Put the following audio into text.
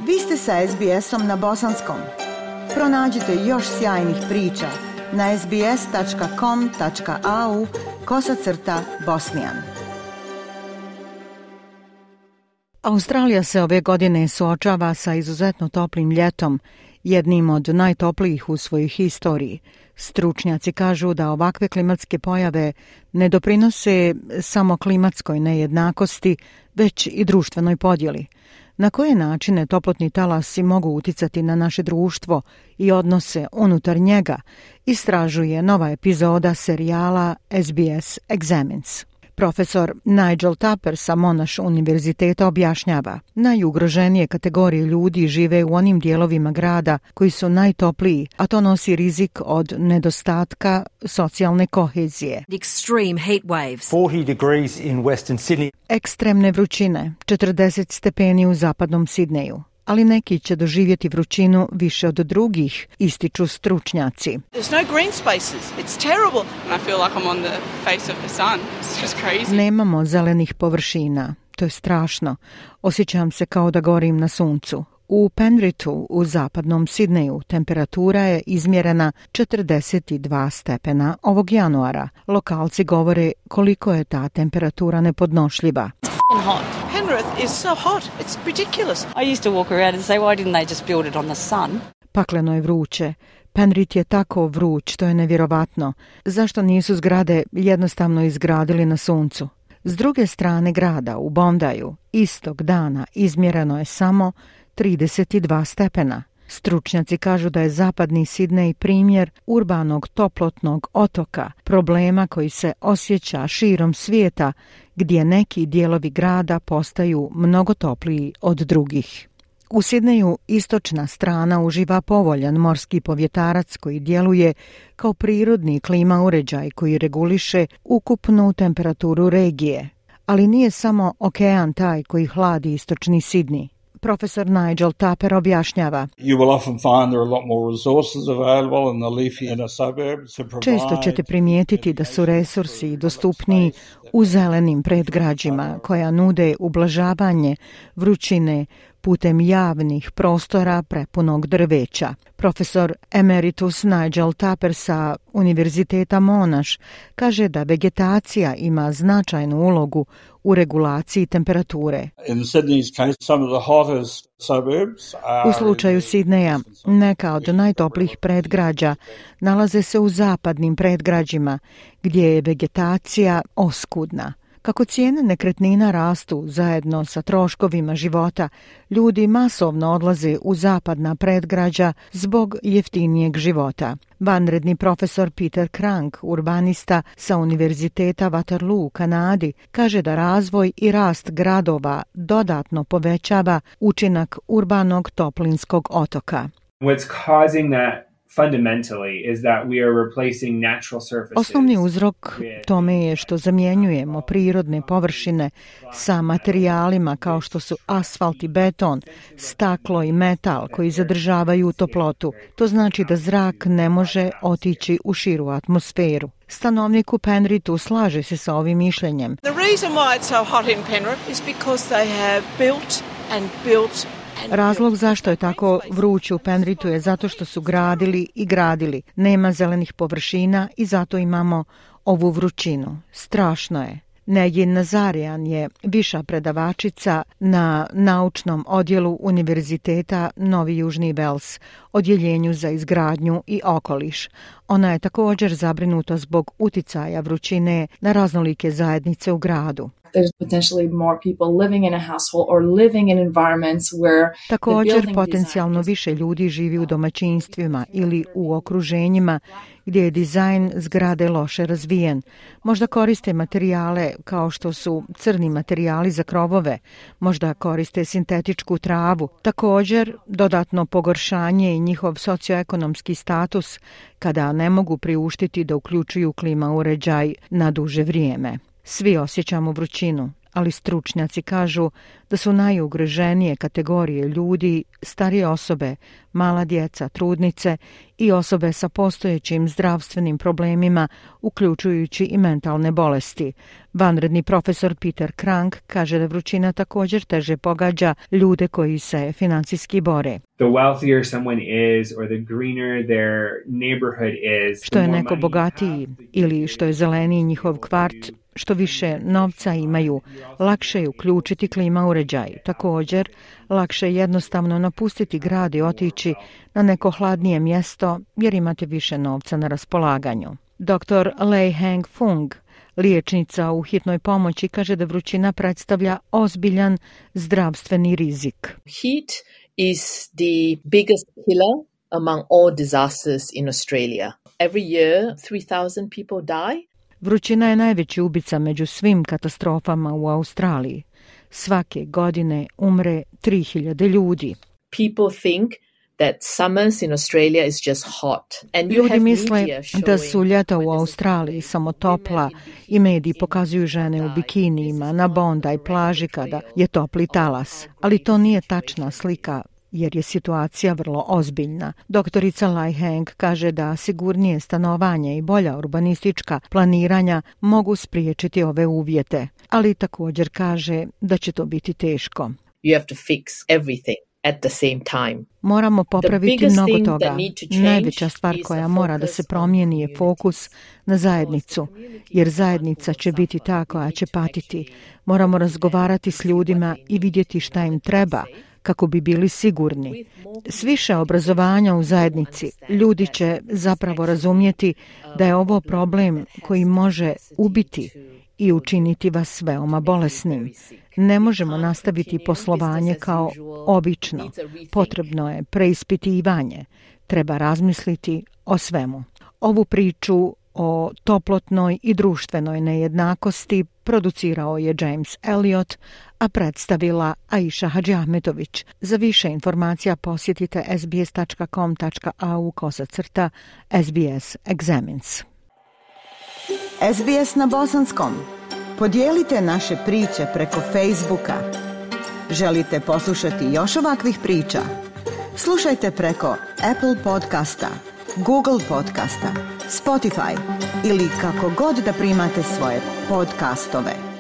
Vi ste sa SBS-om na bosanskom. Pronađite još sjajnih priča na sbs.com.au/bosnijan. Australija se ove godine suočava sa izuzetno toplim ljetom, jednim od najtoplijih u svojoj historiji. Stručnjaci kažu da ovakve klimatske pojave ne doprinose samo klimatskoj nejednakosti, već i društvenoj podjeli. Na koje načine toplotni talasi mogu uticati na naše društvo i odnose unutar njega, istražuje nova epizoda serijala SBS Examines. Profesor Nigel Tupper sa Monash univerziteta objašnjava, najugroženije kategorije ljudi žive u onim dijelovima grada koji su najtopliji, a to nosi rizik od nedostatka socijalne kohezije. Ekstremne vrućine, 40 stepeni u zapadnom Sidneju. Ali neki će doživjeti vrućinu više od drugih, ističu stručnjaci. Nemamo zelenih površina. To je strašno. Osjećam se kao da gorim na suncu. U Penrithu u zapadnom Sidneju temperatura je izmjerena 42 stepena ovog januara. Lokalci govore koliko je ta temperatura nepodnošljiva. Penrith is so hot. It's ridiculous. I used to walk around and say, why didn't they just build it on the sun? Pakleno je vruće. Penrith je tako vruć, to je nevjerovatno. Zašto nisu zgrade jednostavno izgradili na suncu? S druge strane grada, u Bondaju, istog dana izmjereno je samo 32 stepena. Stručnjaci kažu da je zapadni Sidnej primjer urbanog toplotnog otoka, problema koji se osjeća širom svijeta, gdje neki dijelovi grada postaju mnogo topliji od drugih. U Sidneju istočna strana uživa povoljan morski povjetarac koji djeluje kao prirodni klima uređaj koji reguliše ukupnu temperaturu regije. Ali nije samo okean taj koji hladi istočni Sidney. Profesor Nigel Tupper objašnjava. Često ćete primijetiti da su resursi dostupniji u zelenim predgrađima koja nude ublažavanje vrućine putem javnih prostora prepunog drveća. Profesor emeritus Nigel Tupper sa Univerziteta Monash kaže da vegetacija ima značajnu ulogu u regulaciji temperature. U slučaju Sidneja, neka od najtoplijih predgrađa nalaze se u zapadnim predgrađima, gdje je vegetacija oskudna. Kako cijene nekretnina rastu zajedno sa troškovima života, ljudi masovno odlaze u zapadna predgrađa zbog jeftinijeg života. Vanredni profesor Peter Crank, urbanista sa Univerziteta Waterloo u Kanadi, kaže da razvoj i rast gradova dodatno povećava učinak urbanog toplinskog otoka. Osnovni uzrok tome je što zamjenjujemo prirodne površine sa materijalima kao što su asfalt i beton, staklo i metal koji zadržavaju toplotu. To znači da zrak ne može otići u širu atmosferu. Stanovnik u Penrithu slaže se sa ovim mišljenjem. Razlog zašto je tako vruće u Penrithu je zato što su gradili i gradili. Nema zelenih površina i zato imamo ovu vrućinu. Strašno je. Negin Nazarian je viša predavačica na naučnom odjelu Univerziteta Novi Južni Vels, odjeljenju za izgradnju i okoliš. Ona je također zabrinuta zbog uticaja vrućine na raznolike zajednice u gradu. Također, potencijalno više ljudi živi u domaćinstvima ili u okruženjima gdje je dizajn zgrade loše razvijen. Možda koriste materijale kao što su crni materijali za krovove, možda koriste sintetičku travu. Također, dodatno pogoršanje i njihov socioekonomski status kada ne mogu priuštiti da uključuju klima uređaj na duže vrijeme. Svi osjećamo vrućinu, ali stručnjaci kažu da su najugroženije kategorije ljudi starije osobe, mala djeca, trudnice i osobe sa postojećim zdravstvenim problemima, uključujući i mentalne bolesti. Vanredni profesor Peter Krank kaže da vrućina također teže pogađa ljude koji se financijski bore. The wealthier someone is or the greener their neighborhood is, što je neko bogatiji ili što je zeleniji njihov kvart, što više novca imaju, lakše je uključiti klima uređaj. Također, lakše je jednostavno napustiti grad i otići na neko hladnije mjesto jer imate više novca na raspolaganju. Dr. Lei Heng Fung, liječnica u hitnoj pomoći, kaže da vrućina predstavlja ozbiljan zdravstveni rizik. Heat is the biggest killer among all disasters in Australia. Every year, 3,000 people die. Vrućina je najveći ubica među svim katastrofama u Australiji. Svake godine umre 3.000 ljudi. People think that summers in Australia is just hot. And Ljudi misle da su ljeta u Australiji samo topla i mediji pokazuju žene u bikinijima na Bondi plaži kada je topli talas. Ali to nije tačna slika jer je situacija vrlo ozbiljna. Doktorica Lai Heng kaže da sigurnije stanovanje i bolja urbanistička planiranja mogu spriječiti ove uvjete, ali također kaže da će to biti teško. You have to fix everything at the same time. Moramo popraviti mnogo toga. Najveća stvar koja mora da se promijeni je fokus na zajednicu, jer zajednica će biti ta koja će patiti. Moramo razgovarati s ljudima i vidjeti šta im treba, kako bi bili sigurni. S više obrazovanja u zajednici ljudi će zapravo razumjeti da je ovo problem koji može ubiti i učiniti vas veoma bolesnim. Ne možemo nastaviti poslovanje kao obično. Potrebno je preispitivanje. Treba razmisliti o svemu. Ovu priču o toplotnoj i društvenoj nejednakosti producirao je James Elliot, a predstavila Aisha Hadžiahmetović. Za više informacija posjetite sbs.com.au/SBS Examines. SBS na bosanskom. Podijelite naše priče preko Facebooka. Želite poslušati još ovakvih priča? Slušajte preko Apple podcasta, Google podcasta, Spotify ili kako god da primate svoje podcastove.